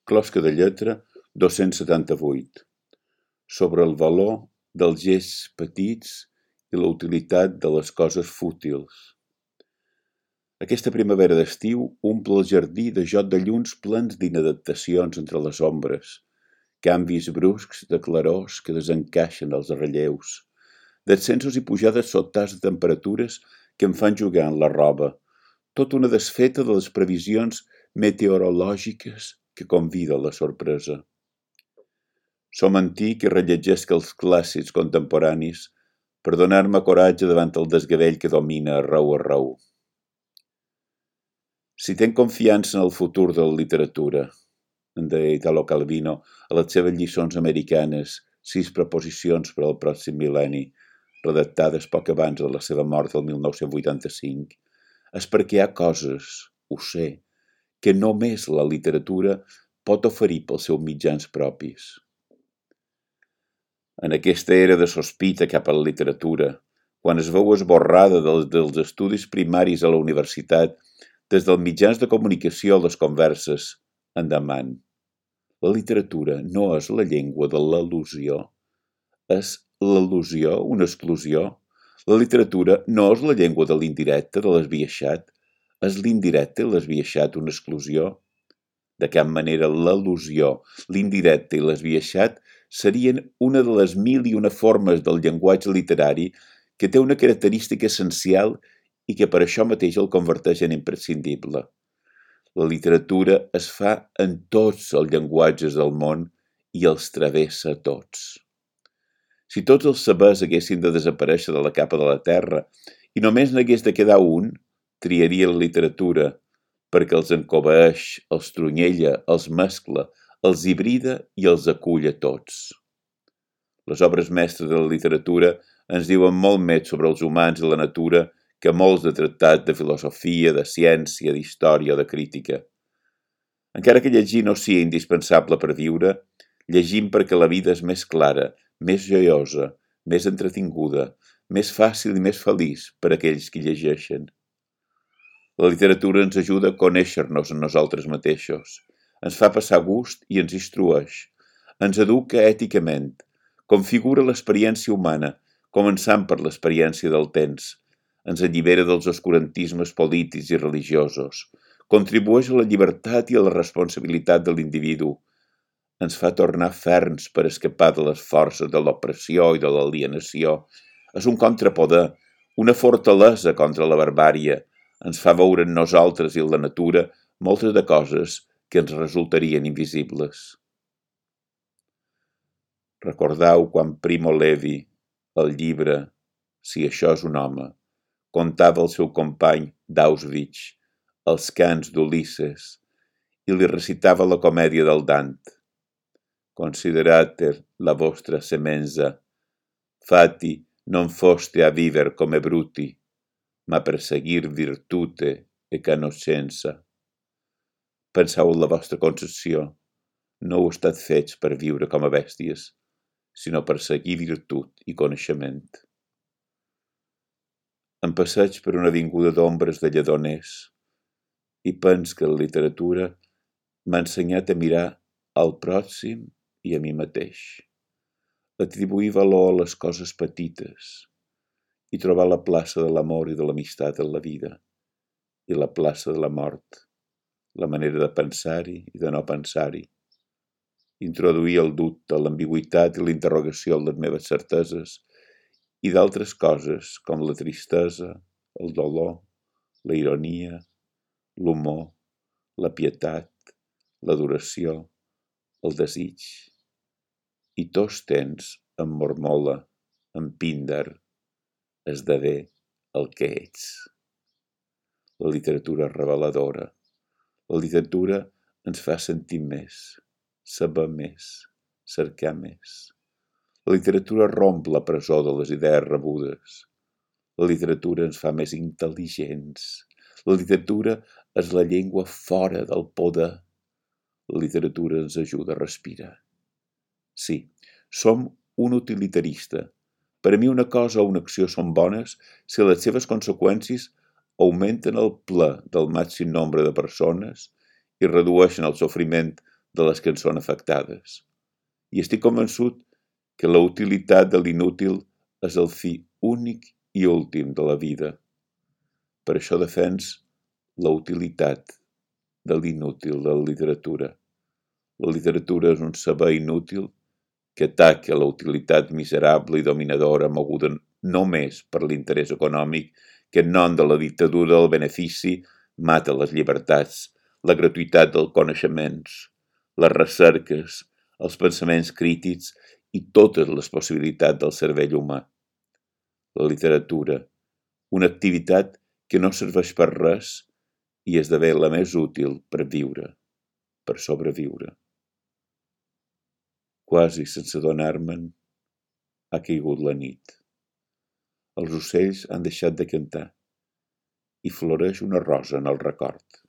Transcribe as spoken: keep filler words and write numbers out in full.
Closca de lletra dos-cents setanta-vuit. Sobre el valor dels gests petits i la utilitat de les coses fútils. Aquesta primavera d'estiu omple el jardí de joc de llums plens d'inadaptacions entre les ombres, canvis bruscs de clarors que desencaixen els relleus, descensos i pujades sobtats de temperatures que em fan jugar en la roba, tot una desfeta de les previsions meteorològiques que convida a la sorpresa. Som antic i rellegesc els clàssics contemporanis per donar-me coratge davant el desgavell que domina arreu arreu. Si tenc confiança en el futur de la literatura, en deia Italo Calvino a les seves lliçons americanes, sis proposicions per al pròxim mil·lenni, redactades poc abans de la seva mort del mil nou-cents vuitanta-cinc, és perquè hi ha coses, ho sé, que només la literatura pot oferir pels seus mitjans propis. En aquesta era de sospita cap a la literatura, quan es veu esborrada dels, dels estudis primaris a la universitat, des dels mitjans de comunicació a les converses, endavant. La literatura no és la llengua de l'al·lusió. És l'al·lusió una exclusió? La literatura no és la llengua de l'indirecte, de l'esbiaixat. És l'indirecte i l'esbiaixat una exclusió? De cap manera l'al·lusió, l'indirecte i l'esbiaixat serien una de les mil i una formes del llenguatge literari que té una característica essencial i que per això mateix el converteix en imprescindible. La literatura es fa en tots els llenguatges del món i els travessa a tots. Si tots els sabers haguessin de desaparèixer de la capa de la terra i només n'hagués de quedar un, triaria la literatura, perquè els encobeeix, els trunyella, els mescla, els hibrida i els acull a tots. Les obres mestres de la literatura ens diuen molt més sobre els humans i la natura que molts de tractats de filosofia, de ciència, d'història o de crítica. Encara que llegir no sigui indispensable per viure, llegim perquè la vida és més clara, més joiosa, més entretinguda, més fàcil i més feliç per a aquells que llegeixen. La literatura ens ajuda a conèixer-nos a nosaltres mateixos, ens fa passar gust i ens instrueix, ens educa èticament, configura l'experiència humana, començant per l'experiència del temps, ens allibera dels oscurantismes polítics i religiosos, contribueix a la llibertat i a la responsabilitat de l'individu, ens fa tornar ferms per escapar de les forces de l'opressió i de l'alienació, és un contrapoder, una fortalesa contra la barbària, ens fa veure en nosaltres i en la natura moltes de coses que ens resultarien invisibles. Recordeu quan Primo Levi, el llibre Si això és un home, contava al seu company d'Auschwitz els cants d'Ulisses i li recitava la comèdia del Dant. Considerate la vostra semenza, fati non foste a viver come bruti, ma per seguir virtute e conoscenza. Penseu en la vostra concepció, no heu estat fets per viure com a bèsties, sinó per seguir virtut i coneixement. Em passeig per una avinguda d'ombres de lledoners i pens que la literatura m'ha ensenyat a mirar al pròxim i a mi mateix, atribuir valor a les coses petites i trobar la plaça de l'amor i de l'amistat en la vida i la plaça de la mort, la manera de pensar-hi i de no pensar-hi, introduir el dubte, l'ambigüitat i l'interrogació en les meves certeses i d'altres coses com la tristesa, el dolor, la ironia, l'humor, la pietat, l'adoració, el desig. I tots temps em mormola, en Píndar, esdevé el que ets. La literatura és reveladora. La literatura ens fa sentir més, saber més, cercar més. La literatura romp la presó de les idees rebudes. La literatura ens fa més intel·ligents. La literatura és la llengua fora del poder. La literatura ens ajuda a respirar. Sí, som un utilitarista. Per a mi una cosa o una acció són bones si les seves conseqüències augmenten el ple del màxim nombre de persones i redueixen el sofriment de les que en són afectades. I estic convençut que la utilitat de l'inútil és el fi únic i últim de la vida. Per això defens la utilitat de l'inútil de la literatura. La literatura és un saber inútil que ataca la utilitat miserable i dominadora moguda només per l'interès econòmic que en nom de la dictadura del benefici mata les llibertats, la gratuïtat dels coneixements, les recerques, els pensaments crítics i totes les possibilitats del cervell humà. La literatura, una activitat que no serveix per res i esdevé la més útil per viure, per sobreviure. Quasi sense adonar-me'n, ha caigut la nit. Els ocells han deixat de cantar i floreix una rosa en el record.